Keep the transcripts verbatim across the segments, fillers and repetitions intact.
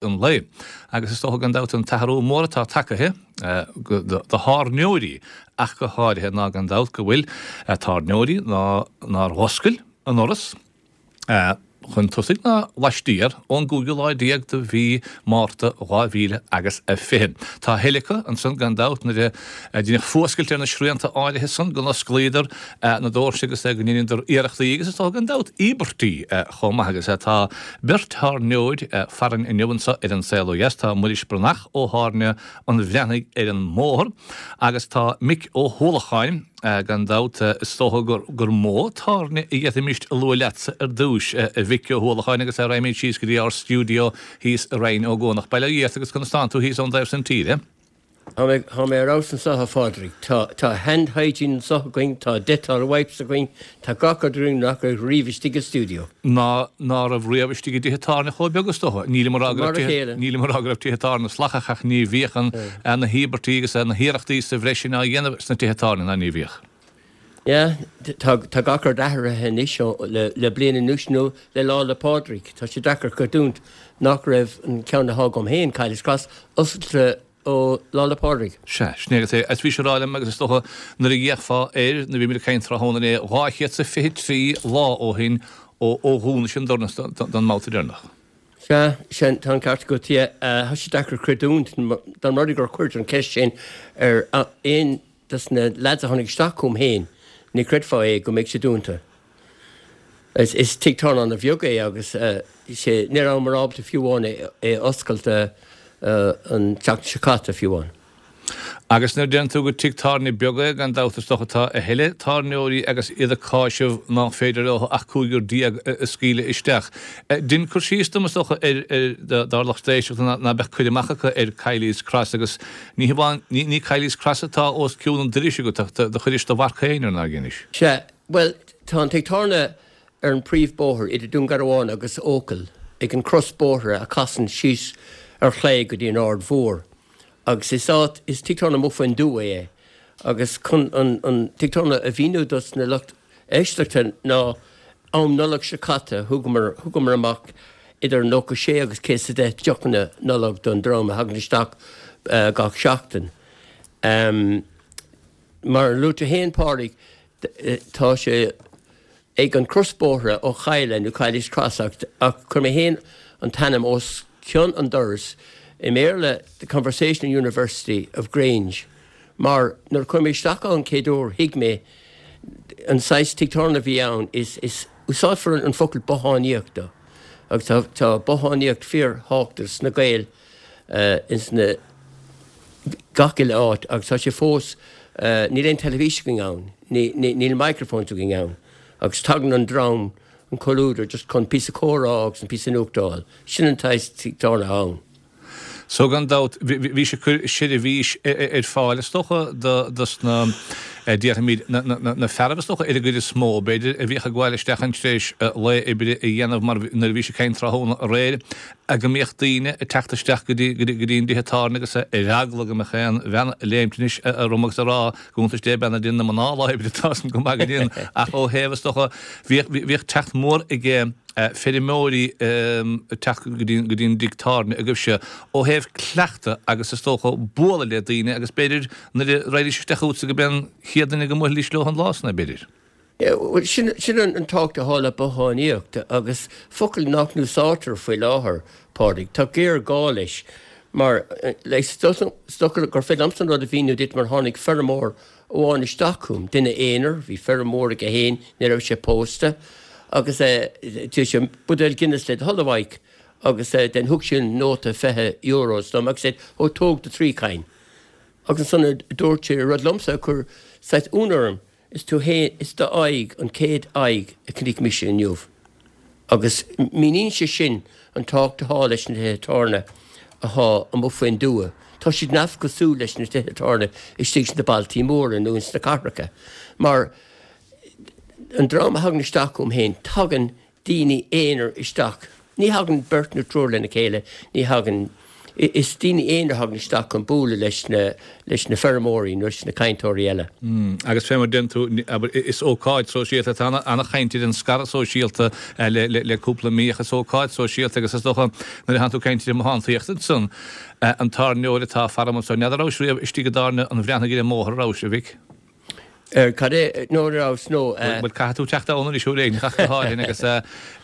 an lae. Agus is dócha gan dabht an t-athrú mór atá tagaithe do thábhairneoirí ach go háirithe ná gan dabht go bhfuil tábhairneoirí ná nár oscail a ndoras chun tosaigh ná laistiar ón gcúigiú lá déag de mhí Márta dhá mhíle agus a fiche. Tá a thuilleadh acu ansan gan dabht nuair a deineadh fuascailt ar na srianta áirithe san go n-osclaíodar na doirse agus go ndeineadar iarrachtaí agus is dócha gan dabht íobairtí chomh maith agus tá beirt thábhairneoir farainn inniu anso ar An Saol Ó Dheas. Tá Muiris Breathnach ó Thábhairne an Bhreathnaigh ar an mbóthar agus tá Mick Ó hUallacháin gan dabht is dócha gur gur mó tábhairne a d'fhéadfaimis a lua leatsa ar dtús a Mhic Ó hUallacháin agus raghaimid síos go dtí ár stiúideo thíos i Rinn Ó gCuanach. Bail ó Dhia ort agus conas tánn tú thíos ón dtaobh san tíre? Tá mé tá mé ar fheabhas anso a Phádraig. Tá tá hand hygiene anso againn, tá Dettol wipes againn, tá gach rud againn nach raibh riamh istigh i stiúideo. Ná ná raibh riamh istigh i dtithe tábhairne chomh beag is dócha. Nílim ag rá go raibh Mar a tithe chéile. nílim ag rá go raibh tithe tábhairne slacach ach ní bhíodh an na híobairtí agus na hiarrachtaí sa bhreis sin á dhéanamh sna tithe tábhairne ná ní bhíodh. Yeah, tá tá gach rud athraithe anois ó le le bliain anuas nó le Lá 'le Pádraig. Tá sé deacair creidiúint nach raibh an ceann atá agam féin, Kiely's Cross, oscailte ó Lá 'le Pádraig. Sea, sin é agus é. Is bhís ag rá liom agus is dócha nuair a d'fhéachfá air, nuair a bhí muid ag caint tráthnóna inné, dhá chéad 's a fiche trí lá ó shin ó ó dhúnais an doras don mbabhta deireanach. Sea, sin, tá an ceart agat, yeah. Tá sé deacair creidiúint dá mba rud é gur chuir an cheist sin ar aon dos na lads a tháinig isteach chugam féin, ní chreidfeá é go mbeidh sé dúnta. Is is tigh tábhairne an-bheag é agus sé ní rabhamar ábalta fiú amháin é é a oscailt an tseachtain seo caite fiú amháin. Agus nuair a deireann tú gur tigh tábhairne beag é, gan dabht is dócha tá a thuilleadh tábhairneoirí agus iad ag cáiseamh nach féidir leo ach cúigear déag a scaoileadh isteach. Dein cur síos dom is dócha ar ar dár lucht éisteachta ná beadh cur amach acu ar Kiely's Cross agus ní hamháin ní ní Kiely's Cross atá os cionn an dorais agat ach do chuiris do mharc féin air nár dheinis? Sea, bhuel, tá an tigh tábhairne ar an príomhbóthar idir Dún Garbhán agus Eochaill, ag an cros bóithre a casann síos ar chlé go dtí an Aird Mhór. Agus is áit, is tigh tábhairne amuigh faoin dtuath é. Agus chun an an tigh tábhairne a mhíniú dos na lucht éisteachta ná am Nollag seo caite thugamar thugamar amach idir nócha sé agus céad is a deich deochanna Nollag don dream a thagann isteach gach seachtain. Mar a luaigh tú féin Pádraig, tá sé ag an crosbhóithre ó Chaille nó Kiely's Cross ach ach chuir mé féin an t-ainm os cionn an dorais i mBéarla The Conversational University of Grange mar nuair a chuaigh mé isteach ann chéad uair thuig mé an saghas tigh tábhairne a bhí ann is is úsáidfear an focal bothánaíocht do agus tá tá bothánaíocht fíor-thábhachtach sna Gaeil ins na gach uile áit agus tá sé fós níl aon teilifís againn ann ní ní níl microphones againn ann agus tagann an dream an comhluadar just chun píosa comhrá agus an píosa nuachta a fháil. Sin an saghas tigh tábhairne ann. So gan dabht bhí sé ag cur seirbhís ar fáil is dócha do dos na déarfaimid na na na fearaibh is dócha ar an gcuid is mó b'fhéidir a bhíodh ag gabháil isteach ann tar éis lae oibre a dhéanamh mar nuair a bhís ag caint tráthnóna aréir go mbíodh daoine ag teacht isteach go dtí go dtí an dtithe tábhairne agus ar eagla go mbeadh aon bhean ag léimt anois orm agus ag rá go bhfanntais Dé beannacht Dé na mná lá oibre tá san go maith go dtí ach ó thaobh is dócha bhíodh bhíodh teacht mór ag feirmeoirí ag teacht go dtí go dtí an dtigh tábhairne agaibhse ó thaobh cleachtadh agus is dócha bualadh le daoine agus b'fhéidir nuair a raghaidís isteach chugatsa go b'é an chéad duine go mbuailfidís leo an lá san é b'fhéidir. Bhuel, sin sin an tábhacht atá le bothánaíocht agus focal nach n-úsáidtear faoi láthair, Pádraig. Tá géarghá leis mar is dócha gur féidir liomsa an rud a mhíniú duit mar tháinig feirmeoir amháin isteach chugam, duine aonair, bhí feirm mhór aige féin, ní raibh sé pósta, agus d'iarr sé buidéal Guinness le do thoil a Mhaidhc agus then thug sé nóta fiche euros dom agus said ó tóg do thrí cinn. Agus ansan dúirt sé rud liomsa a chuir saghas ionadh orm, is tú fhéin, is do aghaidh an chéad aghaidh a chonaic mise inniu. Agus míníonn sé sin an tábhacht atá leis na tithe tábhairne atá amuigh faoin dtuath. Tá siad neamhchosúil leis na tithe tábhairne istigh sna bailtí móra nó ins na cathracha. Mar an dream a thagann isteach chugam féin, tagann daoine aonair isteach. Ní thagann beirt nó triúr lena chéile, ní thagann Is daoine aonair a thagann isteach chun bualadh leis na leis na feirmeoirí nó leis na cainteoirí eile. Agus fé mar deir tú, abair, is ócáid sóisialta, tá ana-chaint ar an scaradh sóisialta le le cúpla mí ach is ócáid sóisialta agus is dócha nuair a thánn tú ag caint ar an mbothántaíocht ansan, an tábhairneoir atá faram anso, n'fheadar rabhais riamh istigh i dtábhairne an Bhreathnaigh ar an mbóthar, rabhais, a Mhic? Ar cad é nó an rabhas nó. Bhuel caithfidh tú teacht ann anois uair éigin ach go háirithe agus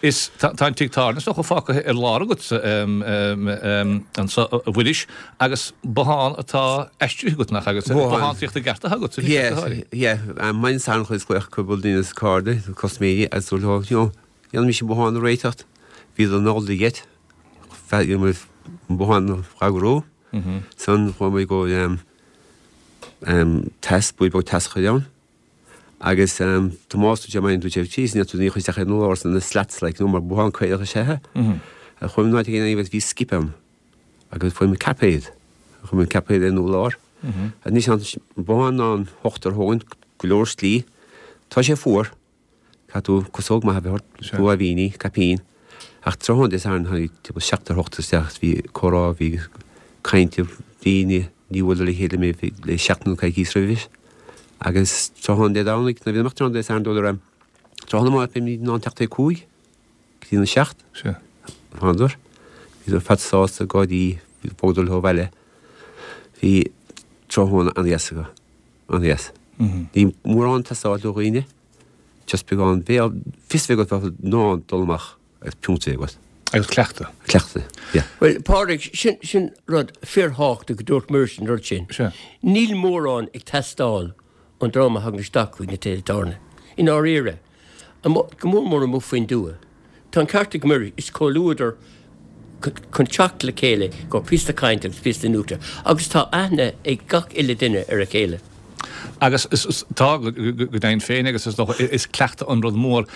is tá an tigh tábhairne is dócha fágtha ar lár agatsa anso a Mhuiris agus bothán atá aistrithe agat nach agus bothántaíocht i gceart atá agat anois ach go háirithe. Yeah, yeah, maidin Sathairn chuaigh glaoch cúpla duine is cairde, custaiméirí agus dúirt leo, you know, dhéanfaimis an bothán a réiteacht, bhíodar in all the get, an bothán a eagrú, san chuaigh muid go teas, buí beag teas a chur ann. Agus Tomás dúirt sé maidin dúirt sé jeez níl tú ní chuir isteach ar an lár na slats like nó mar bothán caorach is ea é. Chuaigh mé in áit éigin agus bhí skip ann agus fuair mé caipéad. Chuir mé an caipéad ar an urlár. Anois an bothán ná an hochtar thógaint go leor slí. Tá sé fuar. Caithfidh tú casóg maith a bheith ort, guaibhíní, caipín. Ach tráthnóna Dé Sathairn tháinig timpeall seachtar hocht isteach is bhí comhrá, bhí caint, daoine, ní bhuaileadar le chéile mé le seachtain nó coicís roimhis. Agus tráthnóna Dé Domhnaigh, nuair a bhí amach tráthnóna Dé Sathairn dúradar em, tráthnóna amárach beimid in ann teacht ag cúig go dtí na seacht. Sea. Thánadar. Bhíodar ar fad sásta, gáirí, bhogadar leo abhaile. Bhí tráthnóna an-dheas acu. An-dheas. Ní mórán ag teastáil ó dhaoine. Just beagán béal, fios a bheith agat bheith in ann dul amach agus piúnta a bheith agat. Agus cleachtadh. Cleachtadh, yeah. Bhuel, Pádraig, sin, sin rud fíorthábhachtach go dúirt Muiris an rud sin. Sea. Níl mórán ag teastáil ón dream a thagann isteach chuig na tithe tábhairne. I ndáiríre. Amuigh, go mór mór amuigh faoin dtuath. Tá an ceart ag Muiris, is comhluadar chun teacht le chéile go píosa cainte agus píosa nuachta agus tá aithne ag gach uile duine ar a chéile. Agus tá, go deimhin féin, agus is dócha, is cleachtadh an rud mór.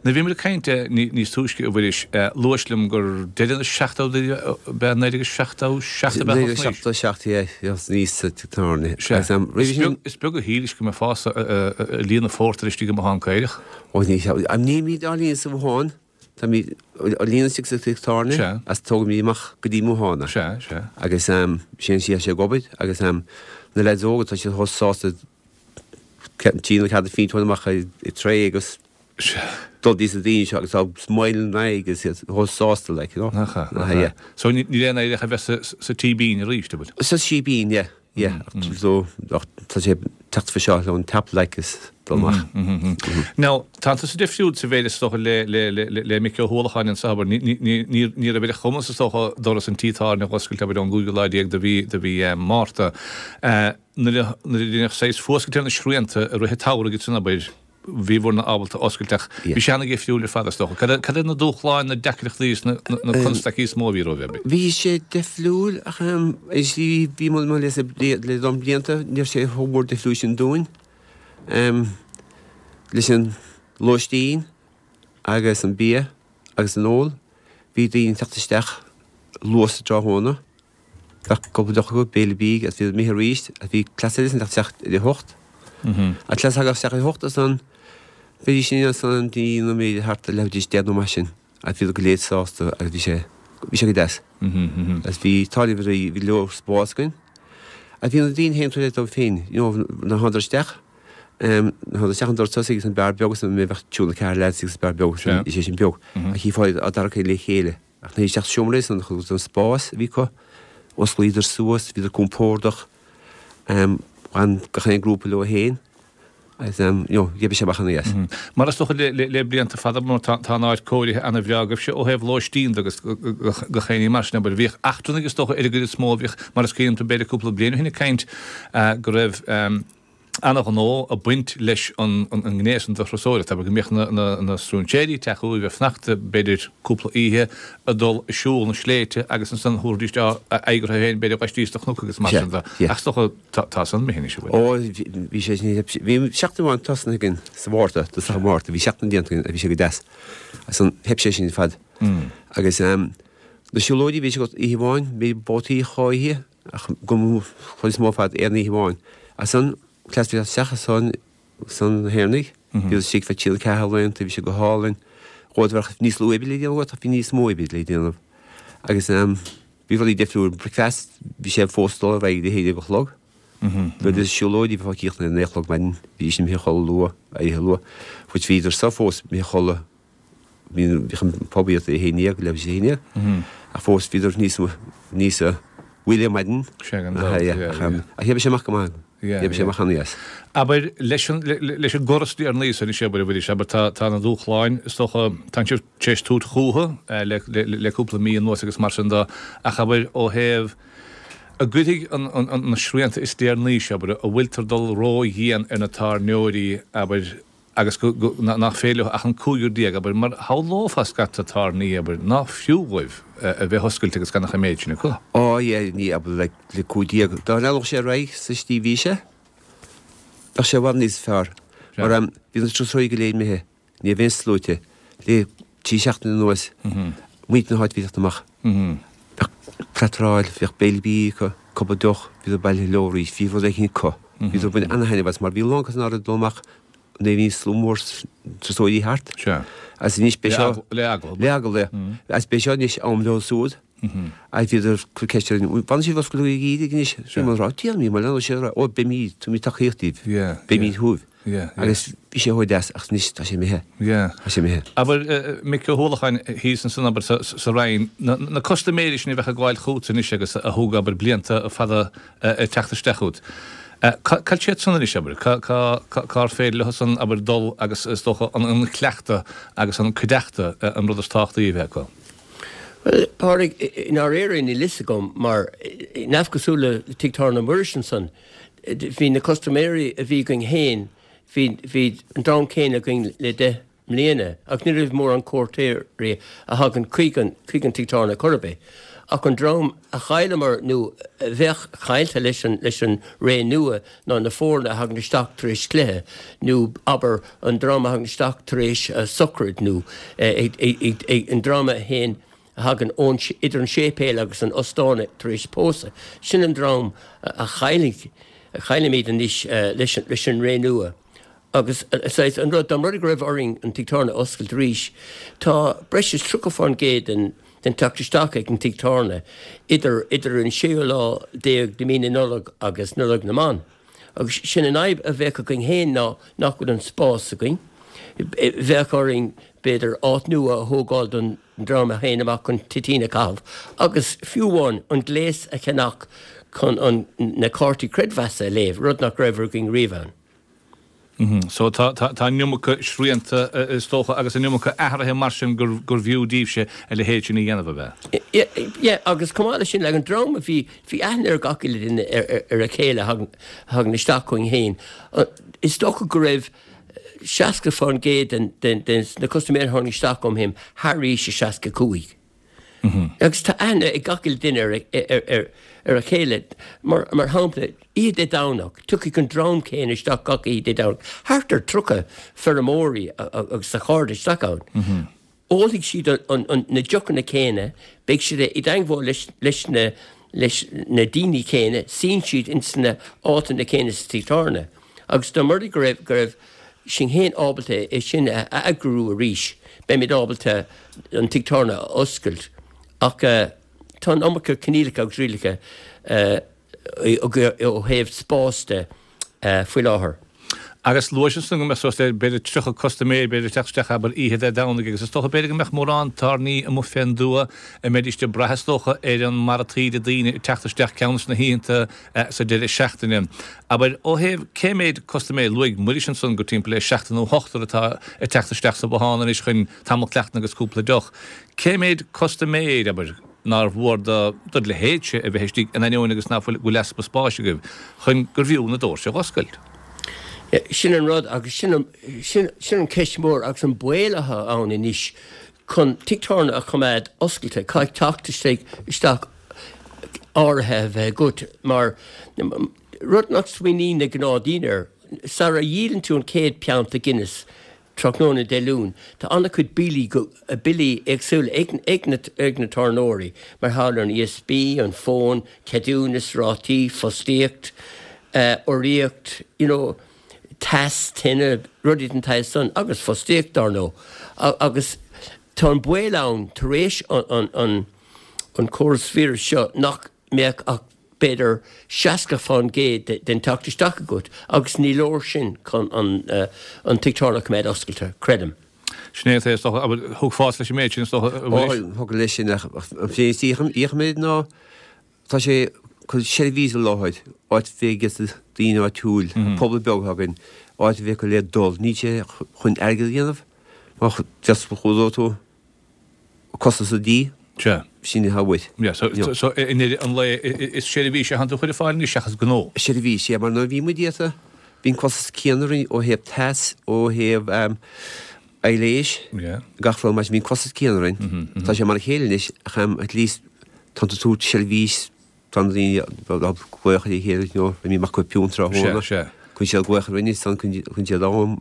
Nuair a bhí muid ag caint níos túisce, a Mhuiris, luais liom gur deireadh na seachtóidí, ab ea, naoi déag seachtó seacht ab ea Naoi déag seachtó seacht, yeah, thosnaíos sa tigh tábhairne. Sea. Is beag a shílis go mbeifeá ag líonadh phórtair istigh i mbothán caorach. Ó ní, nílimid á líonadh sa bhothán. Táimid á líonadh istigh sa tigh tábhairne Sea. Agus tógaimid amach go dtí an bothán é. Sea, sea. Agus sin an tslí atá sé ag obair agus na leaids óga tá siad chomh sásta trí nó ceathair phínt a thabhairt amach ar tray agus Sea. dul dtí na daoine seo agus tá smile ina n-aghaidh agus iad chomh sásta like, you know. Nach ea, nach Aha, ea. yeah. So ní níl aon éireach a bheith sa sa tsíbín arís, an bhfuil? Sa síbín, yeah. Yeah, so tá sé teacht fá seo le an tap like is dul amach. Now, tá tusa difriúil sa mhéid is dócha le le le le Mick Ó hUallacháin anso, abair, ní ní ní ní raibh ar a chumas is dócha doras an tí tábhairne a dh'oscailt abair ón gcúigiú lá déag de mhí de mhí Márta. Nuair a nuair a deineadh saghas fuascailt ar na srianta i rith an tsamhraidh ansan abair, bhíobhair-ne ábalta oscailt ach bhí sé ana-dhifriúil ar fad is dócha. Cad cad iad na dúshláin, na deacrachtaí is na na constaicí is mó a bhí romhaibh? Bhí sé difriúil ach is bhí bhí mo mo le le dom blianta ní raibh sé chomh mór difriúil sin dúinn. Leis an lóistín agus an bia agus an ól bhí daoine ag teacht isteach luath sa tráthnóna. Bheadh cúpla deoch acu, béile bídh agus bhíodar imithe arís agus bhí cleas eile ag teacht isteach ar a hocht. An cleas a thagadh isteach ar a hocht ansan bheidís in ansan dtí nó b'fhéidir thart ar leathuair tar éis deich nó mar sin agus bhíodar go léir sásta agus bhí sé bhí sé go deas. Agus bhí táille bhí bhí leor spás againn. Agus bhí na daoine féin tar éis dóibh féin, you know, nuair a thánadar isteach, nuair a thánadar isteach an doras tosaigh agus an beár beag agus an bheadh triúr nó ceathrar lads agus beár beag agus sé sin beag. Ach chífeá iad á dtarrac le chéile. Ach nuair a isteach sa seomra san an spás a bhí acu, osclaíodar suas, bhíodar compordach, ghan gach aon grúpa leo féin agus you know, gheibh sé amach ana dheas. Mar is dócha le, le, le blianta fada mar tá, tá an áit cóirithe ana-bhreá agaibhse ó thaobh lóistín de agus gach aon ní mar sin, abair, bhíodh eachtrannaigh is dócha ar an gcuid is mó a bhíodh, mar is cuimhin liom b'fhéidir cúpla bliain ó shin ag caint go raibh ana-ghnó ag baint leis an ngné san de thurasóireacht, abair, go mbíodh na stróinséirí ag teacht chugaibh ag fanacht b'fhéidir cúpla oíche, ag dul ag siúl na sléibhte agus ansan thabharfaidís aghaidh orthu féin b'fhéidir laistíos de chnoc agus mar sin de. Ach is dócha tá san imithe anois, an bhfuil? Ó, bhí sé sin, bhí seachtain amháin tosnaithe againn sa Mhárta, tosach an Mhárta, bhí seachtain déanta againn agus bhí sé go deas. Ansan theip sé sin ar fad. Agus na siúlóidí, bhí sé agat oíche amháin, bhí babhtaí dhá oíche ach go chuid is mó ar fad aon oíche amháin. Ansan cleas bhí isteach ansan san na hÉireannaigh, bhíodar istigh feadh trí nó ceathair laethanta, bhí sé go hálainn. Dhóibh bheadh níos lú oibre le déanamh agat ach bhí níos mó oibre le déanamh. Agus bhíodar Bhí rudaí difriúil, bricfeast, bhí sé fós dul ar aghaidh go haon déag a chlog. Nuair is siúlóidí bheifeá críochnaithe a naoi a chlog maidin, bhídís imithe a chodladh luath, éirithe luath, which bhíodar sa fós imithe a chodladh, bhíodh an pub iad a haon déag, leathuair tar éis a haon déag, ach fós bhíodar níos níos mhoille ar maidin. Sea, gan dabht, yeah, yeah. Ach d'oibrigh sé amach go maith. D'oibrigh sé amach an-dheas. Abair, leis an leis an gcóras ar ndóigh anois, abair, a Mhuiris, abair, tá tá na dúshláin, is dócha, tánn sibh tar éis tabhairt fúthu le le cúpla mí anuas agus mar sin de, ach abair, ó thaobh a gcuirfidh an an na srianta is deireanaí seo, abair, a bhfuiltear dul ró-dhian ar na tábhairneoirí, abair, agus go, go, nach féidir leo ach an cúigear déag, abair, mar shamhlófá scata tábhairní, abair, nach fiú dhóibh a bheith oscailte agus gan ach an méid sin acu. Á, yeah, ní, abair, like, le cúig déag. Dá leanfadh sé ar aghaidh sa tslí a bhí sé, bheadh sé i bhfad níos fearr. Mar, em, bhí na turasóirí go léir imithe, ní raibh aon sluaite, le trí seachtaine anuas, muintir na háite a bhí ag teacht amach. Bheadh préataráil, bheadh béile bídh acu, cúpla deoch, bhíodar bailithe leo arís, bhí rud éicint acu. Bhíodar ag baint ana-thaitneamh as mar bhí a lán acu nár dul amach nuair a bhí slua mór turasóirí thart. Sea. Agus anois beidh seo... Le eagla. Le eagla, yeah. Agus beidh seo anois am leo siúd. Agus bhíodar ag cur ceist orainn, bhfanann sibh oscailte go geimhreadh anois? Bhí muid ag rá, déanfaimid, má leanann sé, ó beimid, tabharfaimid tacaíocht daoibh. Beimid chugaibh. Agus bhí sé chomh deas, ach anois tá sé imithe. Tá sé imithe. Abair, Mick Ó hUallacháin thíos ansan, abair, sa Rinn, na custaiméirí sin a bheadh ag gabháil chugat anois agus a thóg, abair, blianta fada ag teacht isteach chugat. Cá bhfuil siad san anois, abair? Cár féidir leo san, abair, dul agus is dócha an cleachtadh agus an cuideachta an rud is tábhachtaí a bheith acu? Bhuel, Pádraig, i ndáiríre níl fhios agam mar neamhchosúil le Tigh Tábhairne Mhuiris ansan, bhí na custaiméirí a bhí againn féin, bhí, bhí an dream céanna againn le deich mbliana ach ní raibh mórán cuairteoirí a thagann chuig an chuig an tigh tábhairne chor ar bith. Ach an dream a chailleamar nó a bheadh caillte leis an leis an ré nua ná na foirne a thagann isteach tar éis cluiche nó abair an dream a thagann isteach tar éis sochraid nó an dream a théann a thagann ón idir an séipéal agus an ostán tar éis pósadh. Sin an dream a chaillfidh a chaillfimid anois leis leis an ré nua. Agus saghas an rud, dá mba rud é go raibh orainn an tigh tábhairne a oscailt arís, tá breis is tríocha fán gcéad den den teacht isteach ag an tigh tábhairne idir idir an séú lá déag de mí na Nollag agus Nollaig na mBan. Agus sin an fhadhb a bheadh againn féin ná nach bhfuil an spás againn. Bheadh orainn b'fhéidir áit nua a thógáil don dream a théann amach chun toitín a chaitheamh agus fiú amháin an gléas a cheannach chun an na cártaí creidmheasa a léamh, rud nach raibh againn riamh ann. So tá tá an iomarca srianta is dócha agus an iomarca athraithe mar sin gur gur bhfiú daoibhse a leithéid sin a dhéanamh, ab ea? Yeah, agus chomh maith leis sin, like an dream a bhí, bhí aithne ar gach uile duine ar ar a chéile a thagann a thagann isteach chugainn féin. Is dócha go raibh seasca fán gcéad den den den na custaiméirí a tháinig isteach chugam féin thar aois a seasca cúig. Agus tá aithne ag gach uile duine ar a chéile. Mar shampla, oíche Dé Domhnach, tiocfaidh an dream céanna isteach gach oíche Dé Domhnach, thart ar tríocha feirmeoirí agus a chairde isteach ann. Ólfaidh siad na deochanna céanna, beidh siad i dteangmháil leis na leis na daoine céanna, suíonn siad ins na áiteanna céanna sa tigh tábhairne. Agus dá mba rud é go raibh go raibh sinn féin ábalta é sin a eagrú arís, beimid ábalta an tigh tábhairne a oscailt. Ach tá an iomarca coinníollacha agus rialacha ó thaobh spáis de faoi láthair. Agus luaigh ansan go mbeadh suas le b'fhéidir tríocha custaiméir b'fhéidir ag teacht isteach abair oíche Dé Domhnaigh agus is dócha b'fhéidir go mbeadh mórán tábhairní amuigh fén dtuath a mbeidís ag brath is dócha ar an mbarra taoide daoine ag teacht isteach ceann des na hoícheanta sa deireadh seachtaine. Abair ó thaobh cé méid custaiméir, luaigh Muiris ansan gur timpeall le seachtar nó ochtar atá ag teacht isteach sa bhothán anois chun tamall cleachtaidh agus cúpla deoch. Cé méid custaiméir, abair, nár mhór do do leithéidse a bheith istigh in ainneoin agus nach bhfuil go bhfuil easpa spáis agaibh, chun gur bhfiú na doirse a dh'oscailt? Sin an rud agus sin an, sin, sin an ceist mhór agus an baol atá ann anois chun tigh tábhairne a choimeád oscailte, caithfidh teacht istigh, isteach áirithe a bheith agat mar rud nach smaoiníonn na gnáthdhaoine air, sara dhíolann tú an chéad pianta Guinness, Tráthnóna Dé Luain, tá an-chuid billí, billí éagsúla ag ag na ag na tábhairneoirí, mar gheall ar an ESB, an fón, ceadúnas, rátaí, fostaíocht, urraíocht, you know, teas, tine, rudaí den tsaghas san, agus fostaíocht, dar ndóigh. Agus tá an baol ann, tar éis an an an an córas víreas seo nach mbeadh ach b'fhéidir seasca faoin gcéad den teacht isteach agat agus ní leor sin chun an an tigh tábhairne a choimeád oscailte, creidim. Sin é is dócha, thiocfá leis an méid sin is dócha. Ó, thiocfadh leis sin ach an féin is méid ná tá sé chun seirbhís a sholáthar, áit a bheidh ag daoine áitiúil, pobal beag againn, áit a bheidh acu le dul, níl sé chun airgead a dhéanamh, má just chuadóidh tú costas an dí. Sea. Sin atá uait. Yeah, so, so, so i ndeireadh an lae is seirbhís a thánn tú a chur ar fáil anois seachas gnó. Seirbhís, yeah, mar nuair a bhí muid iata, bhí an costas céanna orainn ó thaobh teas, ó thaobh um, aibhléis, Yeah. gach rud mar sin, bhí an costas céanna orainn. Tá sé mar a chéile anois, ach um, at least tá tú tabhairt seirbhís, tá na daoine á glaoch ar a chéile, you know, bhí mé acu piúnt tráthnóna. Sea, sea. Chun siad glaoch ar rinne, san chun chun siad am,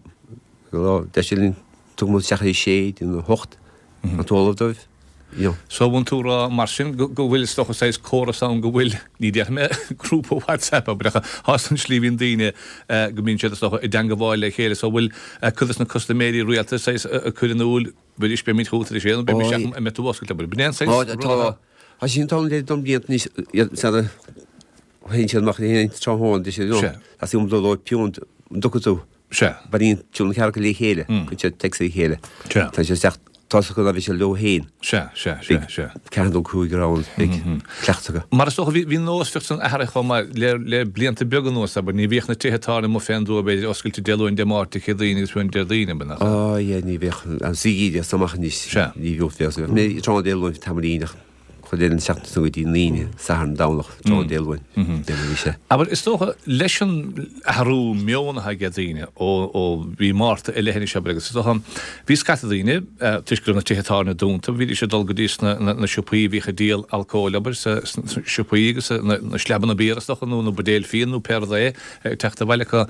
deir siad linn, tug muid isteach ar a sé, nó a hocht, an t-ólamh dóibh. You know. So bhfuil tú rá mar sin go go bhfuil is dócha saghas córas ann go bhfuil, ní déarfaidh mé grúpa WhatsApp abair ach tá an slí bhíonn daoine eh, go mbíonn siad is dócha i dteangmháil le chéile so bhfuil eh, cuid de na custaiméirí rialta saghas eh, ag cur in iúl b'fhéidir beimid chugat ar a sé nó beimid Ó, isteach an mbeidh tú oscailte abair. B'in é an saghas Tá, rud tá, atá- tá sin tá le dom blianta anois, iad san théann siad amach le tráthnóna, deir siad, you know, Sea. tá sí um dul ó piúnt, an dtiocfaidh tú. Sea. Bailíonn siad na cearca le chéile, cuireann siad text le chéile. Sea. Tá siad isteach, tá siad go bhí siad leo féin. Sea, sea, sea, sea. Ceathair nó cúig ann, beidh cleachtadh acu. Mar is dócha bhí bhí nós san athraithe chomh maith le le blianta beaga anuas abair ní bhíodh na tithe tábhairne amuigh fén dtuath b'fhéidir oscailte Dé Luain Dé Máirt Dé Céadaoin agus fiú Déardaoin ab ea? Á, yeah, ní bheadh an suí is amach anois. Sea. Ní bheadh bheadh. Mé tráthnóna Dé Luain tamaillín ach chuid eile an seachtain go dtí an Aoine, Satharn, Domhnach, tráthnóna Dé Luain. Dé Luain bhí sé. Abair is dócha leis an athrú meoin atá ag daoine ó ó bhí Márta i leith anois abair agus is dócha bhí scata daoine eh, toisc go raibh na tithe tábhairne dúnta, bhídís ag dul go dtí sna na, na siopaí a bhíodh ag díol alcóil abair sa sna siopaí agus na, na sleabanna beer is dócha nó na buidéil fíon nó pé rud é ag teacht abhaile acu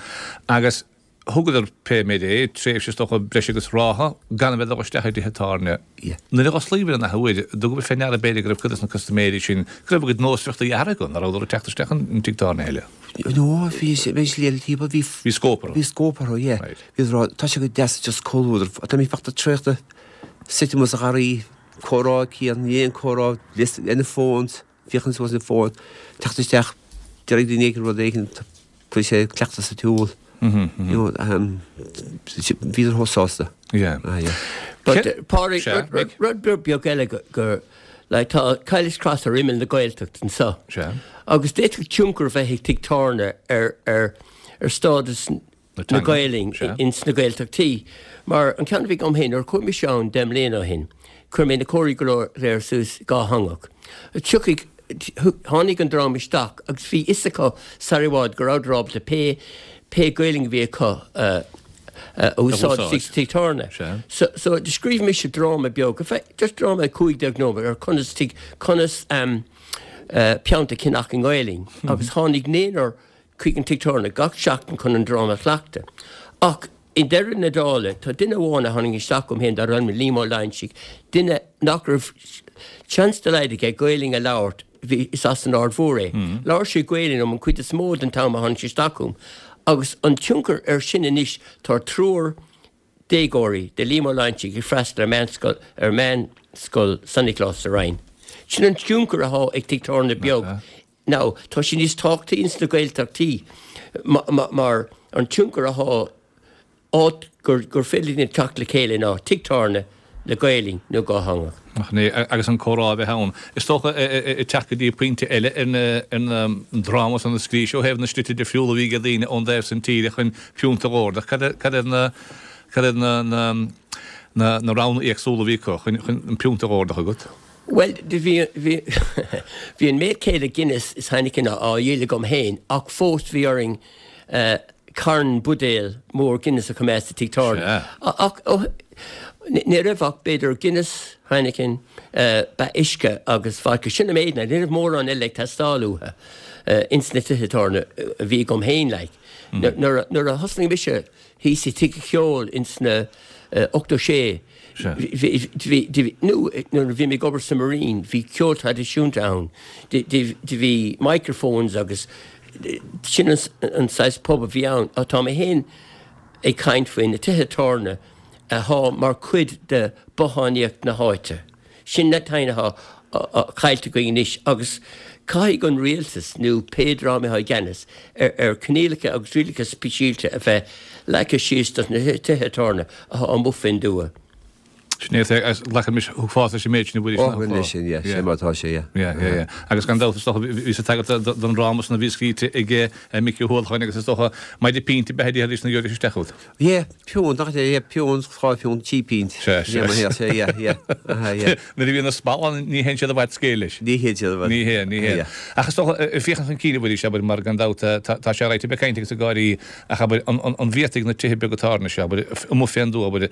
agus thugadar pé méid é tréimhse is dócha breis agus ráithe gan a bheith ag dul isteach i dtithe tábhairne. Yeah. Nuair a osclaíodh an athuair, dtugadh fé ndeara b'fhéidir go raibh cuid de na custaiméirí sin go raibh a gcuid nósmhaireachtaí athraithe acu, nach rabhadar ag teacht isteach an an tigh tábhairne eile. No, bhí sé bhí sé le timpeall bhí Bhí scóip orthu. Bhí scóip orthu, yeah. Right. Bhí rá tá sé go deas just comhluadar. Tá mé fachta traochta suite amuigh sa gharraí, comhrá cian, ní aon comhrá, list ar na phones, féachaint suas na phone, teacht isteach, deir daoine éigin rud éigin, chuir sé cleachtas sa tsiúl. Mhm, You know, um, bhíodar chomh sásta. Yeah. Ah, yeah. But Ce- uh, Pádraig, Sea, rud- rud Mick. rud beag beag eile go, gur like, tá Caille's Cross ar imeall na Gaeltacht anseo. Sea. Agus d'fhéadfadh tionchar bheith ag tigh tábhairne ar, ar, ar stádas Na na teanga, Gaeilge sea. ins na Gaeltachtaí. Mar an ceann a bhí agam féin nuair chuaigh mise ann deich mbliana ó shin, chuir mé na comharthaí go léir suas dátheangach. Tiocfaidh tháinig an dream isteach agus bhí fhios acu sar i bhfad go rabhadar ábalta pé pé Gaeilge a bhí acu uh, uh, úsáid úsáid. sa tigh tábhairne. Sea. So, so do scríobh mise dráma beag, in fact, just dráma cúig déag nóiméad ar conas tig conas um, uh, piúnt a cheannach i nGaeilge. Agus tháinig naonúr chuig an tigh tábhairne gach seachtain chun an dráma a chleachtadh. Ach i ndeireadh na dála, tá duine amháin a tháinig isteach chugam féin darb ainm Liam Ó Loingsigh, duine nach raibh seans dá laghad aige Gaeilge a labhairt, bhí is as an Aird Mhór é. Labhair sé Gaeilge liom an chuid is mó den t-am a tháinig sé isteach chugam. Agus an tionchar ar sin anois tá triúr déagóirí de Liam Ó Loingsigh ag freastal ar meánscoil ar meánscoil San Nioclás sa Rinn. Sin an tionchar atá ag tigh tábhairne beag. Now, tá sin níos tábhachtaí ins na Gaeltachtaí ma- ma- mar an tionchar atá áit gur, gur féidir linn teacht le chéile ná tigh tábhairne le Gaeilge nó dátheangach. Ach ní, agus an comhrá a bheith ann. Is dócha ag teacht go dtí pointe eile ar na ar na dráma san na scrí ó thaobh na slite difriúla a bhí ag daoine ón dtaobh san tíre chun piúnt a dh'ordach. Cad é- cad é na cad é na na na na roghanna éagsúla a bhí acu chun chun an piúnt a dh'ordach agat? Well, de bhí bhí bhí an méid céanna Guinness is Heineken á dhíol agam féin ach fós bhí orainn uh, carn buidéal mór Guinness a choimeád sa tigh tábhairne. Sea. Ach ó, ní ní raibh ach b'fhéidir Guinness, Heineken, uh, ba uisce agus vodka sin an méid, ní raibh mórán eile ag teastáil uathu uh, ins na tithe tábhairne a bhí agam féin like. Nuair nuair a thosnaigh mise thíos i tigh an cheoil ins na uh, ochtó sé Sea. Bhí- bhí- bhí- nó nuair a bhí mé ag obair sa Marine, bhí ceol traidisiúnta ann, de bhí microphones agus sin an, an saghas pub a bhí ann, ach tá mé féin ag caint faoi na tithe tábhairne atá mar chuid de bothánaíocht na háite. Sin na taine atá caillte againn anois agus caithfidh an rialtas nó pé dream atá i gceannas ar ar coinníollacha agus rialacha speisialta a bheith leagtha síos dos na tithe tábhairne atá amuigh fén dtuath. Sin é, agus glacaimis thuas leis an méid sin a bhfuil Ó, bhuel leis sin, yeah, sin mar atá sé, yeah. Yeah, yeah, yeah. Agus gan dabht is dócha bhí sa tagairt don dráma san a bhí scríte ag Micí Ó hUallacháin agus is dócha maide pínte ab ea é na gheobhaidís isteach út. Yeah, piúnt, nach é, yeah, piúnt, dhá phiúnt, trí phínt. Sea, sea. Yeah, mar shea, sea, yeah, yeah, aha, yeah. Nuair a bhíonn na spalláin ní théann siad i bhfad scéil leis. Ní théann siad i bhfad. Ní théann, ní théann. Yeah. Ach is dócha, ag féachaint chun cinn a Mhuiris, abair, mar gan dabht tá tá sé ráite, beidh caint agus ag gáirí ach abair, an an an bhféadfaidh na tithe beaga tábhairne seo, abair, amuigh fén dtuath, abair,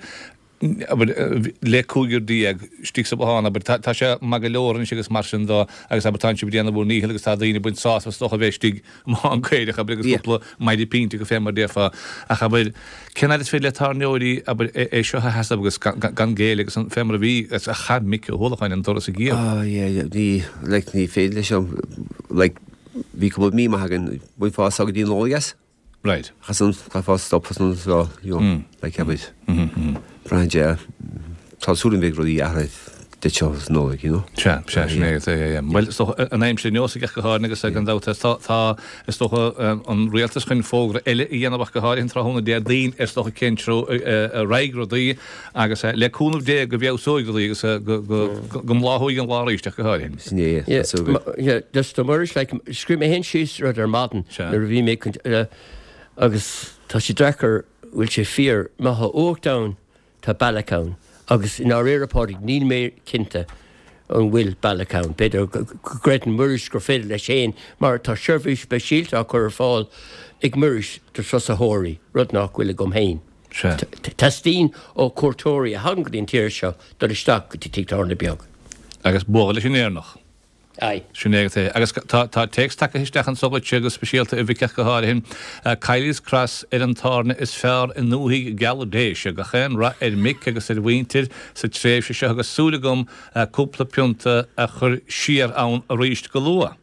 abair, le cúigear déag istigh sa bhothán, abair, tá tá sé maith go leor anois agus mar sin dó agus abair tánn sibh ag déanamh bhur ndícheall agus tá daoine ag baint sásamh is dócha a bheith istigh i mbothán caorach, abair, agus Yeah. cúpla maide pínte acu fé mar déarfá. Ach abair, cén fhad is féidir le tábhairneoirí, abair, é é seo a sheasamh agus gan gan gan géilleadh agus an fé mar a bhí agus a chaith Mick Ó hUallacháin an doras ag iamh. Oh yeah, yeah, ní, like, ní féidir leis an, like, bhí cúpla mí maith againn, bhainfeá sá go dtí an Nollaig as. Right. Chas an chaithfeá stop as an so, you know, like, abair. Braitheann sé, tá súil agam bheidh rudaí athraithe duit seo sa Nollaig, you know. Sea, sea, sin é, yeah, yeah. Bhuel, is dócha, an aimsir neosach ach go háirithe agus gan dabht, tá, tá, is dócha, an rialtas chun fógra eile a dhéanamh ach go háirithe an tráthnóna Déardaoin, is dócha cén treo a raghaidh rudaí agus le cúnamh Dé go bhfeabhsóidh rudaí agus go, go, go mbláthóidh an lá arís ach go háirithe. Sin é, Yeah, tá súil agam. ma- yeah, just a Muiris, like, scríobh mé féin síos rud ar maidin Sea. nuair a bhí mé chun, eh, agus tá sé deacair, bhfuil sé fíor, má tá uacht ann, tá bealach ann. Agus i ndáiríre, Pádraig, níl mé cinnte an bhfuil bealach ann. B'fhéidir go gcreideann Muiris gur féidir leis féin, mar tá seirbhís speisialta á cur ar fáil ag Muiris do thurasóirí, rud nach bhfuil agam féin. Sea. Teastaíonn ó chuairteoirí a thagann go dtí an tír seo dul isteach go dtí tigh tábhairne beag. Agus bualadh leis an Éireannach. Aye. Sin é é. Agus tá tá téacs tagtha isteach anso duitse go speisialta a Mhic ach go háirithe. Kiely's Cross ar an tábhairne is fearr i ndúthaigh gheal Déise. Gach aon rath ar Mick agus ar a mhuintir sa tréimhse seo agus súil agam cúpla pionta a chur siar ann arís go luath.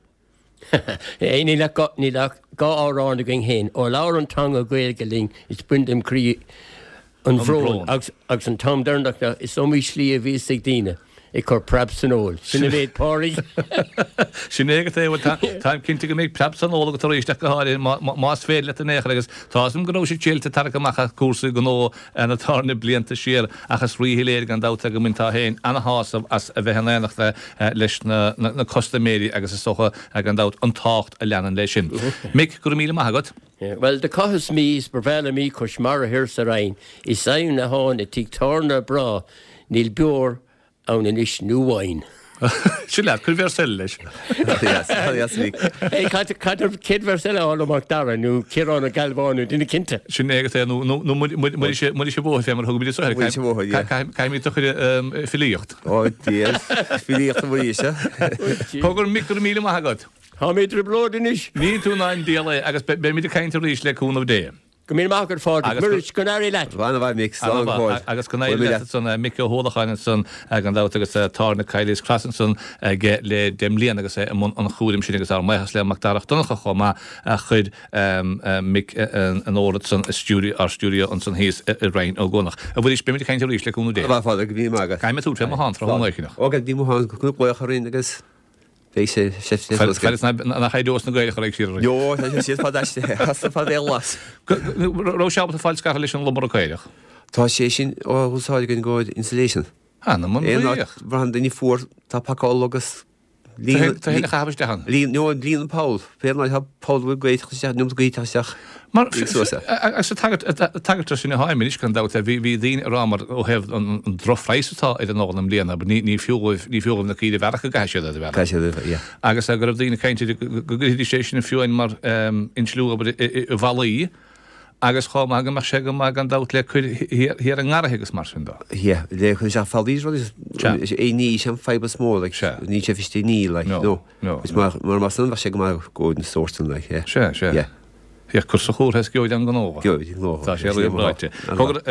Níl ach níl ach dhá amhrán againn féin. Ó labhair an teanga Gaeilge linn is bain dem chroí an bhrón agus agus an t-am deireanach ná is iomaí slí a bhíos ag daoine ag cur preab san ól. Sin an méid Pádraig. Sin é agat é, bhuel táim cinnte go mbeidh preab san ól agat arís ach go háirithe más féidir leat in aon chor agus tá 'fhios a'm go raibh sé tuillte tarrac amach as cúrsaí gnó na tábhairne blianta siar ach is ríshoiléir gan dabht é go mbainteá féin ana-shásamh as a bheith in éineacht leis na custaiméirí agus is dócha gan dabht an tábhacht a leanann leis sin. Mick, go raibh míle maith agat. Bhuel, do chaitheas mí is ba bhreá liom í cois mara thiar sa Rinn, is aoibhinn atháin i dtigh tábhairne breá, níl beoir ann anois nó wine. Sin leat, cuir véarsa eile leis. Hey, cad cad céad véarsa eile a fháil ó Mac Dara nó Ciarán Ó Gealbháin nó duine cinnte. Sin é agat é, nó nó Muiris Muiris an Bhóthair fé mar a thugaimid anseo air. Muiris an Bhóthair, yeah. Caithfimid do chur i filíocht. Ó, Dia, filíocht a Mhuiris, eh? Cogar Mick, go raibh míle maith agat. Tá mé i dtrioblóid anois. Níl tú ná an diabhal é agus beimid ag caint arís le cúnamh Dé. Go míle maith agat Phádraig. Agus go. Muiris, go n-éirí leat. Ana-mhaith Mick, slán go fóill. Agus go n-éirí leat ansan, Mick Ó hUallacháin ansan gan dabht agus tábhairne Kiely's Cross ansan aige le deich mbliana agus é i mbun an chúraim sin agus ár mbuíochas le Macdara Donncha chomh maith a chuir Mick in ord ansan i stiúideo, ár stiúideo ansan thíos i Rinn Ó gCuanach. A Mhuiris, beimid ag caint arís le cúnamh Dé. Ana-mhaith Phádraig, go míle maith agat. Caithfidh mé tabhairt fé mo thonn tráthnóna éigineach. Ó, go dtí mo thonn, go glaoch orainn agus. Beidh sé sé suas Fad is nach éireos na Gaeil a chur ag siar orainn. Jo, tá sé siad fad aisti, as fad é las. Raibh sé ábalta fáil scartha leis an lomaire caorach? Tá sé sin á úsáid againn i gcomhair insulation. Anam an Aon áit laoch. bhraitheann duine fuar, tá pacáil agus líon Tá féin a chaitheamh isteach ann. líon, no, líon an poll. Pé an áit tá poll bhfuil gaoth teacht isteach, neomat gaoth teacht isteach. Mar Bhí suas é. agus tagairt tagairt sin a tháim anois gan dabht bhí bhí daoine ag rá mar ó thaobh an an drochphraghas atá ar an ól i mbliana but ní ní fiú dhóibh ní fiú dhóibh na caoirigh a bhearradh go gcaithfidh siad iad a bhearradh. Caithfidh siad iad a bhearradh, yeah. Agus go raibh daoine ag caint go go gcuirfidís é sin fiú amháin mar insliú abair i i i bhfallaí agus chomh maith go mbeadh sé go maith gan dabht le cur thiar thiar i ngarraithe agus mar sin de. Yeah, le cur isteach fallaí is rudaí Sea. is é ní sin an fadhb is mó like Sea. níl sé feiste ní like No, no. no, Is no. mar mar mar san bheadh sé go maith go na sórt sin like yeah. Sea, sea. Yeah. Ach cur sa chúr is gheobhaidh an gnó. Gheobhaidh an gnó. Tá sé réamhráite. Cogar,